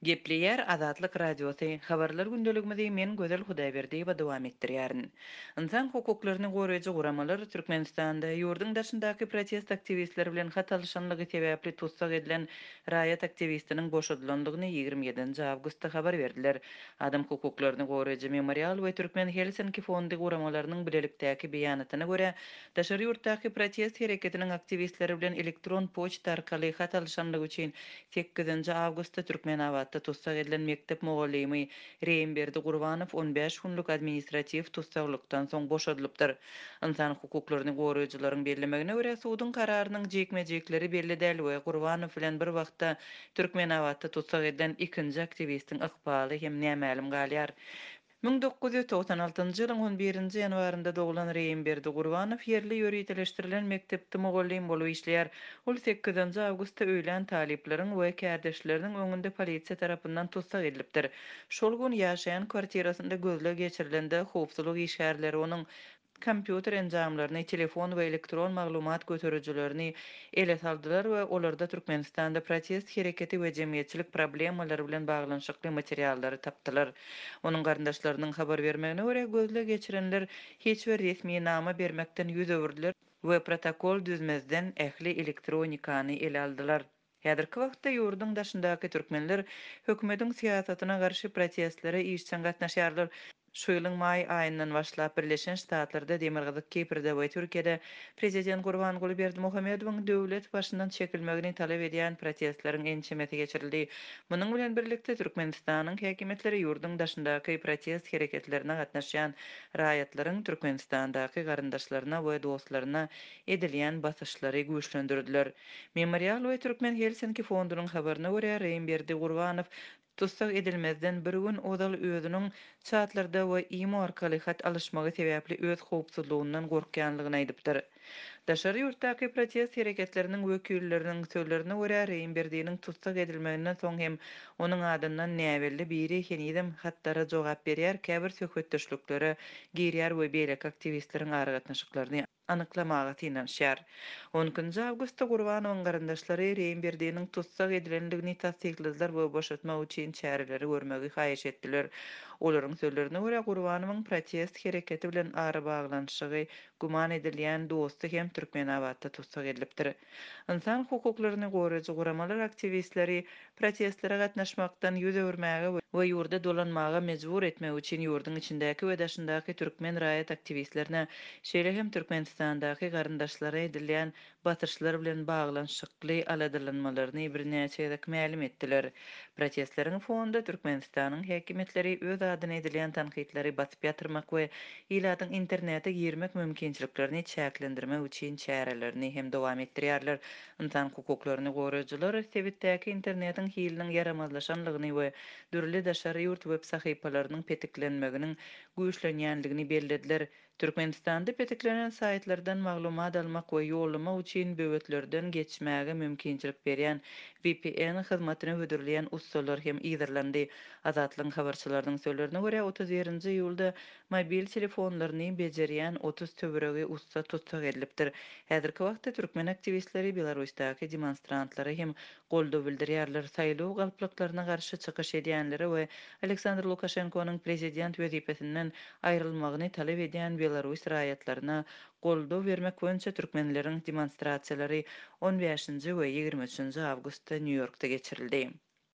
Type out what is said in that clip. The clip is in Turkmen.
Gepleýär Azatlyk Radiosy, Habarlar gündeligimizi men Gözel Hudaýberdiýewa dowam etdirýärin. Ynsan hukuklaryny goraýjy guramalar Türkmenistanda ýurduň daşyndaky protest aktiwistleri bilen hat alyşanlygy sebäpli tussag edilen raýat aktiwistiniň boşadylandygyny 27-nji awgustda habar berdiler. Adam hukuklaryny goraýjy Memorial we Türkmen Helsinki fondy guramalarynyň bilelikdäki beýanatyna görä, daşary ýurtdaky protest hereketiniň aktiwistleri bilen elektron poçta arkaly hat alyşanlygy üçin Sekizinji awgustda Türkmenabatda tussag edilen mekdep mugallymy Reýimberdi Gurbanow on bäş günlük administratiw tussaglykdan soň boşadylypdyr. Ynsan hukuklaryny goraýjylaryň bellemegine görä, suduň kararynyň jikme-jikleri belli däl we Gurbanow bilen bir wagtda Türkmenabatda tussag edilen ikinji aktiwistiň ykbaly hem nämälim galýar. 1996-njy ýylyň on birinji ýanwarynda doglan Reýimberdi Gurbanow ýerli ýöriteleşdirilen mekdepde mugallym bolup işleýär. Ol sekizinji awgustda öýlän talyplaryň we kärdeşleriniň öňünde polisiýa tarapyndan tussag edilipdir. Şol gün ýaşaýan kwartirasynda gözleg geçirilende howpsuzlyk işgärleri onuň kompýuter enjamlaryny, telefon we elektron maglumat göterijilerini ele saldylar we olarda Türkmenistanda protest hereketi we jemgyýetçilik problemalary bilen baglanyşykly materiallary tapdylar. Onuň garyndaşlarynyň habar bermegine görä, gözleg geçirenler hiç bir resminama bermekden ýüz öwürdiler we protokol düzmezden ähli elektronikany ele aldylar. Häzirki wagtda ýurduň daşyndaky türkmenler hökümetiň syýasatyna garşy protestlere işjeň gatnaşýarlar. Şu ýylyň maý aýyndan başlap Birleşen Ştatlarda, Demirgazyk Kiprde we Türkiýede prezident Gurbanguly Berdimuhamedowyň döwlet başyndan çekilmegini talap edýän protestleriň ençemesi geçirildi. Munuň bilen birlikde, Türkmenistanyň häkimiýetleri ýurduň daşyndaky protest hereketlerine gatnaşýan raýatlaryň Türkmenistandaky garyndaşlaryna we dostlaryna edilýän basyşlary güýçlendirdiler. Memorial we Türkmen Helsinki fondunyň habaryna görä, Reýimberdi Gurbanow tussag edilmezden bir gün ozal özüniň çatlarda we imo arkaly hat alyşmagy sebäpli öz howpsuzlygyndan gorkýanlygyny aýdypdyr. Daşary ýurtdaky protest hereketleriniň wekilleriniň sözlerine görä, Reýimberdiniň tussag edilmeginden soň hem onuň adyndan näbelli biri henizem hatlara jogap berýär, käbir söhbetdeşliklere girýär we beýleki aktiwistleriň aragatnaşyklaryny anyklamaga synanyşýar. On ikinji awgustda Gurbanowyň garyndaşlary Reýimberdiniň tussag edilendigini tassykladylar we boşatmak üçin çäreleri görmegi haýyş etdiler. Olaryň sözlerine görä, Gurbanowyň protest hereketi bilen arabaglanyşygy güman edilýän dosty hem Türkmenabatda tussag edilipdir. Ynsan hukuklaryny goraýjy guramalar aktiwistleri protestlere gatnaşmakdan ýüz öwürmäge we ýurda dolanmaga mejbur etmek üçin ýurduň içindäki we daşyndaky türkmen raýat aktiwistlerine, şeýle hem Türkmenistandaky garyndaşlara edilýän basyşlar bilen baglanyşykly aladalanmalaryny birnäçe gezek mälim etdiler. Protestleriň fonunda Türkmenistanyň häkimiýetleri öz adyna edilýän tankytlary basyp ýatyrmak we ilatyň internete girmek mümkinçiliklerini çäklendirmek üçin çärelerini hem dowam etdirýärler. Ynsan hukuklaryny goraýjylar sebitdäki internetiň hiliniň ýaramazlaşanlygyny we dürli daşary ýurt web sahypalarynyň petiklenmeginiň güýçlenýänligini bellediler. Türkmenistanda petiklenen saýtlardan maglumat almak we ýollamak üçin böwetlerden geçmäge mümkinçilik berýän VPN hyzmatyny hödürleýän ussalar hem yzarlandy. Azatlygyň habarçylarynyň sözlerine görä, 31-nji iýulda mobil telefonlaryny bejerýän 30 töweregi ussa tussag edilipdir. Häzirki wagtda türkmen aktiwistleri Belarusdaky demonstrantlara hem goldaw bildirýärler, saýlaw galplyklaryna garşy çykyş edýänlere we Aleksandr Lukaşenkonyň prezident wezipesinden aýrylmagyny talap edýän belarus raýatlaryna goldaw bermek boýunça türkmenleriň demonstrasiýalary on bäşinji we 23-nji awgustda Nýu-Ýorkda geçirildi.